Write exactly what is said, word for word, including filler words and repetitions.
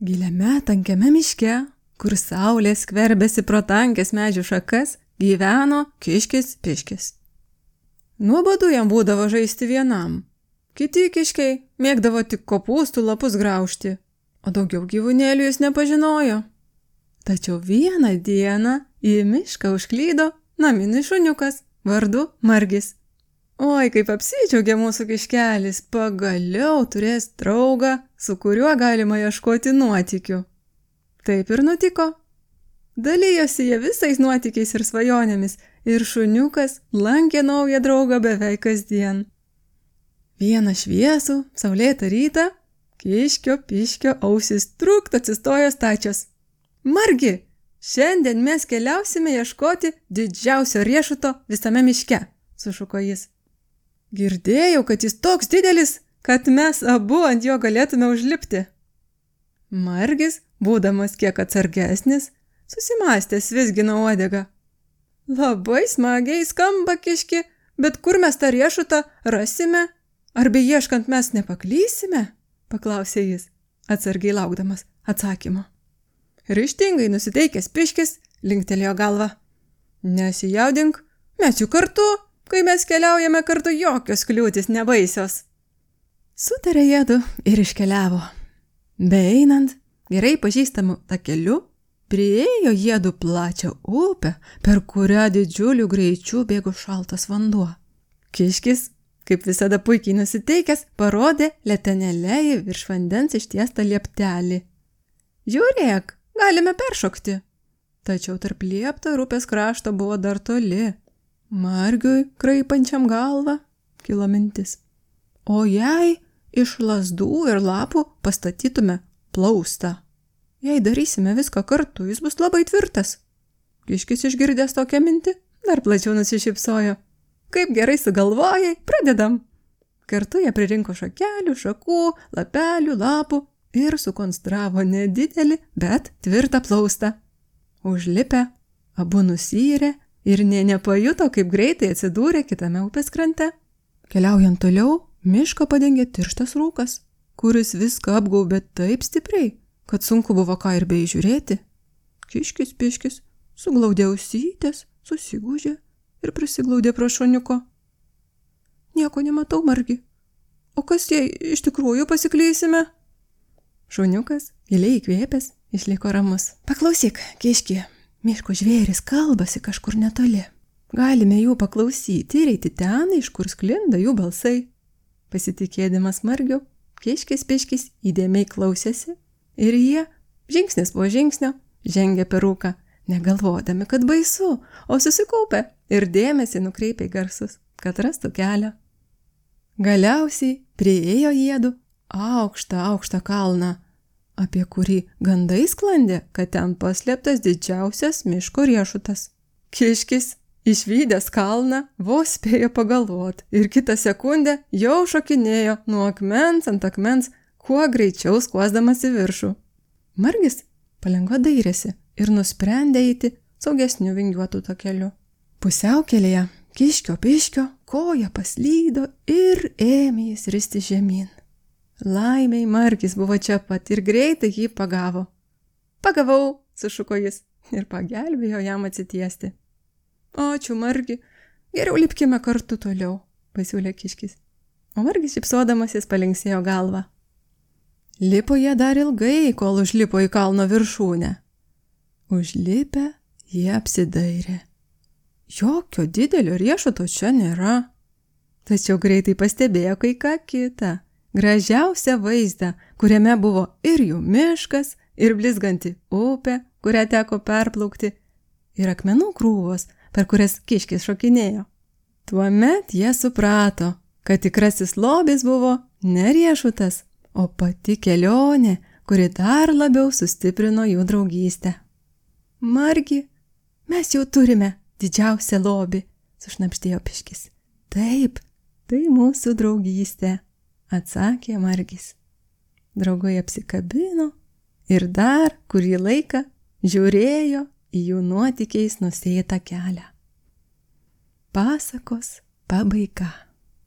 Giliame tankiame miške, kur saulė skverbėsi pro tankės medžių šakas, gyveno kiškis piškis. Nuobodu jam būdavo žaisti vienam. Kiti kiškiai mėgdavo tik kopūstų lapus graužti, o daugiau gyvūnėlių jis nepažinojo. Tačiau vieną dieną į mišką užklydo naminis šuniukas vardu Margis. Oi, kaip apsidžiaugė mūsų kiškelis, pagaliau turės draugą, su kuriuo galima ieškoti nuotykių. Taip ir nutiko. Dalijosi jie visais nuotykiais ir svajonėmis, ir šuniukas lankė naują draugą beveik kasdien. Vieną šviesų, saulėtą rytą, kiškio piškio ausis trukt atsistojo stačios. Margi, šiandien mes keliausime ieškoti didžiausio riešuto visame miške, sušuko jis. Girdėjau, kad jis toks didelis, kad mes abu ant jo galėtume užlipti. Margis, būdamas kiek atsargesnis, susimąstęs vizgino uodegą. Labai smagiai skamba kiški, bet kur mes tą riešutą rasime? Ar beieškant mes nepaklysime? Paklausė jis, atsargiai laukdamas atsakymo. Ryžtingai nusiteikęs piškis linktelėjo galvą. Nesijaudink, mes jų kartu. Kai mes keliaujame kartu, jokios kliūtis nebaisios. Sutarė jiedu ir iškeliavo. Beeinant, gerai pažįstamų takeliu, priėjo jiedu plačią upę, per kurią didžiulių greičių bėgo šaltas vanduo. Kiškis, kaip visada puikiai nusiteikęs, parodė letenėle į virš vandens ištiestą lieptelį. Žiūrėk, galime peršokti. Tačiau tarp liepto ir upės krašto buvo dar toli. Margiui, kraipančiam galvą, kilo mintis. O jei iš lazdų ir lapų pastatytume plaustą? Jei darysime viską kartu, jis bus labai tvirtas. Kiškis išgirdęs tokią mintį, dar plačiau nusišypsojo. Kaip gerai sugalvojai, pradedam. Kartu jie pririnko šakelių, šakų, lapelių, lapų ir sukonstravo nedidelį, bet tvirtą plaustą. Užlipę, abu nusyrė ir nė nepajuto, kaip greitai atsidūrė kitame upės krante. Keliaujant toliau, mišką padengė tirštas rūkas, kuris viską apgaubė taip stipriai, kad sunku buvo ką ir beįžiūrėti. Kiškis piškis suglaudė ausytės, susigūžė ir prisiglaudė prie šuniuko. Nieko nematau, Margi. O kas jei iš tikrųjų pasiklysime? Šuniukas, giliai įkvėpęs, išliko ramus. Paklausyk, kiški. Miško žvėris kalbasi kažkur netoli. Galime jų paklausyti ir eiti ten, iš kur sklinda jų balsai. Pasitikėdamas Margiu, kiškis piškis įdėmiai klausėsi ir jie, žingsnis po žingsnio, žengė per rūką, negalvodami, kad baisu, o susikaupę ir dėmesį nukreipė į garsus, kad rastų kelią. Galiausiai priėjo jiedu aukštą, aukštą kalną, apie kurį gandai sklandė, kad ten paslėptas didžiausias miško riešutas. Kiškis, išvydęs kalną, vos spėjo pagalvot ir kitą sekundę jau šokinėjo nuo akmens ant akmens, kuo greičiau skuosdamas į viršų. Margis palengva dairėsi ir nusprendė eiti saugesniu vingiuotu takeliu. Pusiaukelėje kiškio piškio koja paslydo ir ėmė jis risti žemyn. Laimiai Margis buvo čia pat ir greitai jį pagavo. Pagavau, sušuko jis ir pagelbėjo jam atsitiesti. Ačiū, Margi, geriau lipkime kartu toliau, pasiūlė kiškis. O Margis šypsodamasis palinksėjo galvą. Lipo jie dar ilgai, kol užlipo į kalno viršūnę. Užlipę jie apsidairė. Jokio didelio riešuto čia nėra. Tačiau greitai pastebėjo kai ką kitą. Gražiausią vaizdą, kuriame buvo ir jų miškas, ir blizganti upė, kurią teko perplaukti, ir akmenų krūvos, per kurias kiškis šokinėjo. Tuomet jie suprato, kad tikrasis lobis buvo ne riešutas, o pati kelionė, kuri dar labiau sustiprino jų draugystę. Margi, mes jau turime didžiausią lobį, sušnabždėjo piškis. Taip, tai mūsų draugystė, atsakė Margis. Draugai apsikabino ir dar kurį laiką žiūrėjo į jų nuotykiais nusėtą kelią. Pasakos pabaiga.